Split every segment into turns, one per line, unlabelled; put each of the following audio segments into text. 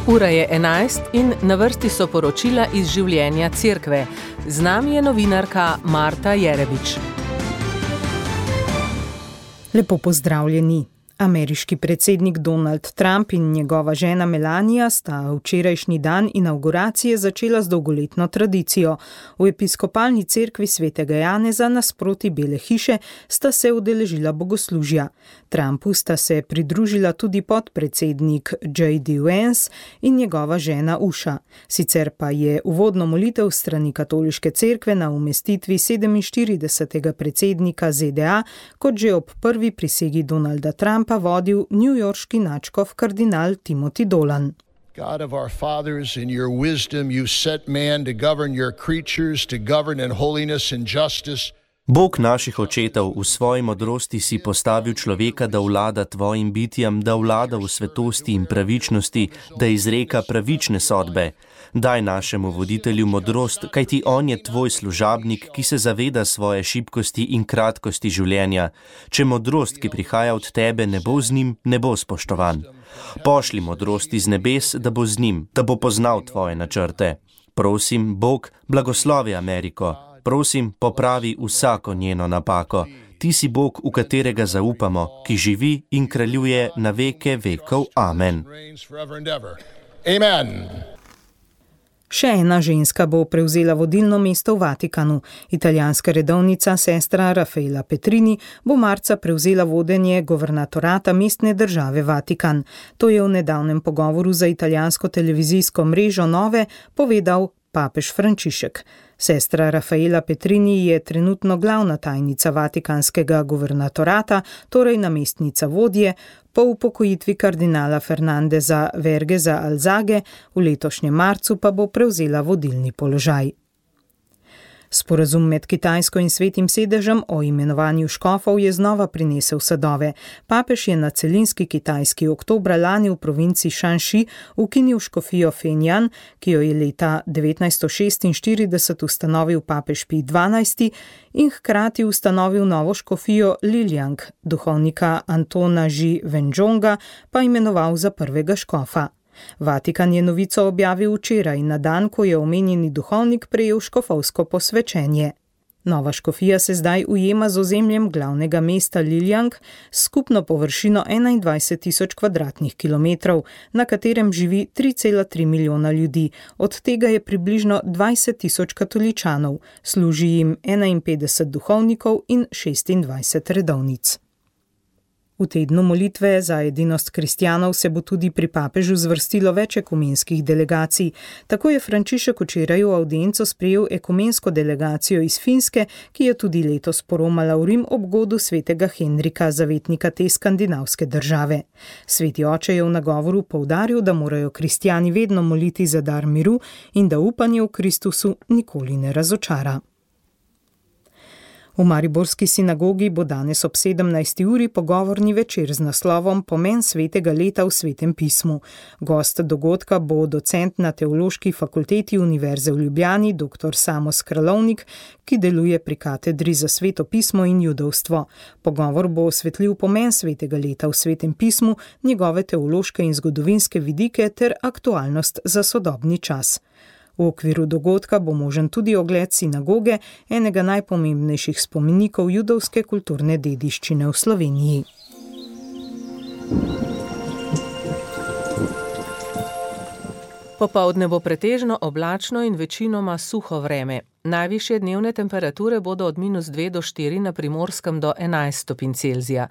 Ura je 11 in na vrsti so poročila iz življenja cerkve. Z nami je novinarka Marta Jerebič.
Lepo pozdravljeni. Ameriški predsednik Donald Trump in njegova žena Melania sta včerajšnji dan inavguracije začela z dolgoletno tradicijo. V episkopalni cerkvi svetega Janeza nasproti Bele hiše sta se udeležila bogoslužja. Trumpu sta se pridružila tudi podpredsednik J.D. Vance in njegova žena Usha. Sicer pa je uvodno molitev strani katoliške cerkve na umestitvi 47. predsednika ZDA, kot že ob prvi prisegi Donalda Trumpa, vodil newyorški nadškof kardinal Timothy Dolan.
God of our fathers, in your wisdom you set man to govern your creatures, to govern in holiness and justice.
Bog naših očetov, v svoji modrosti si postavil človeka, da vlada tvojim bitjem, da vlada v svetosti in pravičnosti, da izreka pravične sodbe. Daj našemu voditelju modrost, kajti on je tvoj služabnik, ki se zaveda svoje šibkosti in kratkosti življenja. Če modrost, ki prihaja od tebe, ne bo z njim, ne bo spoštovan. Pošli modrost iz nebes, da bo z njim, da bo poznal tvoje načrte. Prosim, Bog, blagoslovi Ameriko. Prosim, popravi vsako njeno napako. Ti si Bog, v katerega zaupamo, ki živi in kraljuje na veke vekov. Amen.
Še ena ženska bo prevzela vodilno mesto v Vatikanu. Italijanska redovnica sestra Raffaella Petrini bo marca prevzela vodenje governatorata mestne države Vatikan. To je v nedavnem pogovoru za italijansko televizijsko mrežo Nove povedal papež Frančišek. Sestra Raffaella Petrini je trenutno glavna tajnica vatikanskega guvernatorata, torej namestnica vodje, po upokojitvi kardinala Fernandeza Vergeza Alzage, v letošnjem marcu pa bo prevzela vodilni položaj. Sporazum med Kitajsko in Svetim sedežem o imenovanju škofov je znova prinesel sadove. Papež je na celinski Kitajski oktobra lani v provinci Shanxi ukinil škofijo Fenjan, ki jo je leta 1946 ustanovil papež Pij XII in hkrati ustanovil novo škofijo Lijiang, duhovnika Antona Zhi Wenzhonga pa imenoval za prvega škofa. Vatikan je novico objavil včeraj, na dan, ko je omenjeni duhovnik prejel škofovsko posvečenje. Nova škofija se zdaj ujema z ozemljem glavnega mesta Lijiang s skupno površino 21.000 kvadratnih kilometrov, na katerem živi 3,3 milijona ljudi, od tega je približno 20.000 katoličanov, služi jim 51 duhovnikov in 26 redovnic. V tednu molitve za edinost kristjanov se bo tudi pri papežu zvrstilo več ekumenskih delegacij. Tako je Frančišek včeraj v avdienco sprejel ekumensko delegacijo iz Finske, ki je tudi letos poromala v Rim ob godu svetega Henrika, zavetnika te skandinavske države. Sveti oče je v nagovoru poudaril, da morajo kristjani vedno moliti za dar miru in da upanje v Kristusu nikoli ne razočara. V mariborski sinagogi bo danes ob 17. uri pogovorni večer z naslovom Pomen svetega leta v svetem pismu. Gost dogodka bo docent na Teološki fakulteti Univerze v Ljubljani, dr. Samo Skralovnik, ki deluje pri katedri za sveto pismo in judovstvo. Pogovor bo osvetlil pomen svetega leta v svetem pismu, njegove teološke in zgodovinske vidike ter aktualnost za sodobni čas. V okviru dogodka bo možen tudi ogled sinagoge, enega najpomembnejših spomenikov judovske kulturne dediščine v Sloveniji.
Popoldne bo pretežno oblačno in večinoma suho vreme. Najvišje dnevne temperature bodo od -2 do 4 na Primorskem do 11 stopinj Celzija.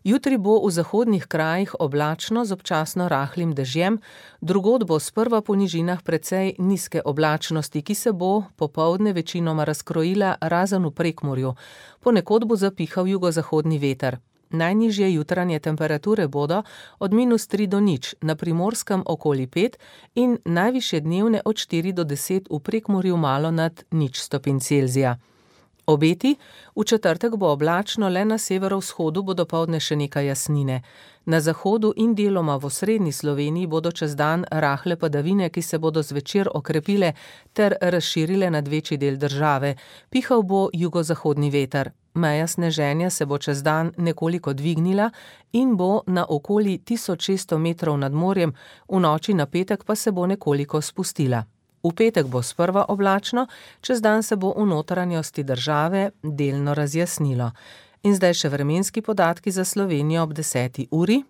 Jutri bo v zahodnih krajih oblačno z občasno rahlim dežjem, drugod bo sprva po nižinah precej nizke oblačnosti, ki se bo popoldne večinoma razkrojila razen v Prekmurju. Ponekod bo zapihal jugozahodni veter. Najnižje jutranje temperature bodo od -3 do 0, na Primorskem okoli 5 in najvišje dnevne od 4 do 10 v Prekmurju malo nad 0 stopinj Celzija. Obeti, v četrtek bo oblačno, le na severovzhodu bo dopoldne še nekaj jasnine. Na zahodu in deloma v osrednji Sloveniji bodo čez dan rahle padavine, ki se bodo zvečer okrepile ter razširile nad večji del države. Pihal bo jugozahodni veter. Meja sneženja se bo čez dan nekoliko dvignila in bo na okoli 1600 metrov nad morjem, v noči na petek pa se bo nekoliko spustila. V petek bo sprva oblačno, čez dan se bo v notranjosti države delno razjasnilo. In zdaj še vremenski podatki za Slovenijo ob 10. uri.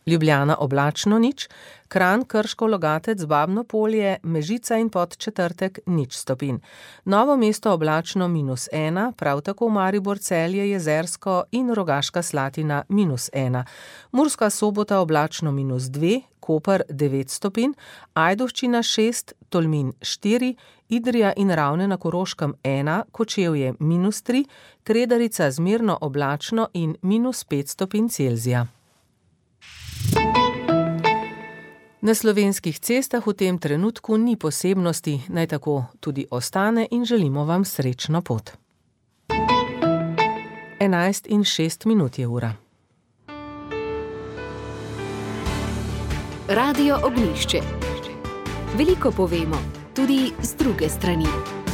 Ljubljana oblačno nič, Kranj, Krško, Logatec, Babno Polje, Mežica in Podčetrtek 0 stopinj. Novo mesto oblačno -1, prav tako Maribor, Celje, Jezersko in Rogaška Slatina -1. Murska Sobota oblačno -2, Koper 9 stopinj, Ajdovščina 6, Tolmin 4, Idrija in Ravne na Koroškem 1, Kočevje -3, Kredarica zmerno oblačno in -5 stopinj Celzija. Na slovenskih cestah v tem trenutku ni posebnosti, naj tako tudi ostane in želimo vam srečno pot. 11:06 je ura.
Radio Ognjišče. Veliko povemo, tudi z druge strani.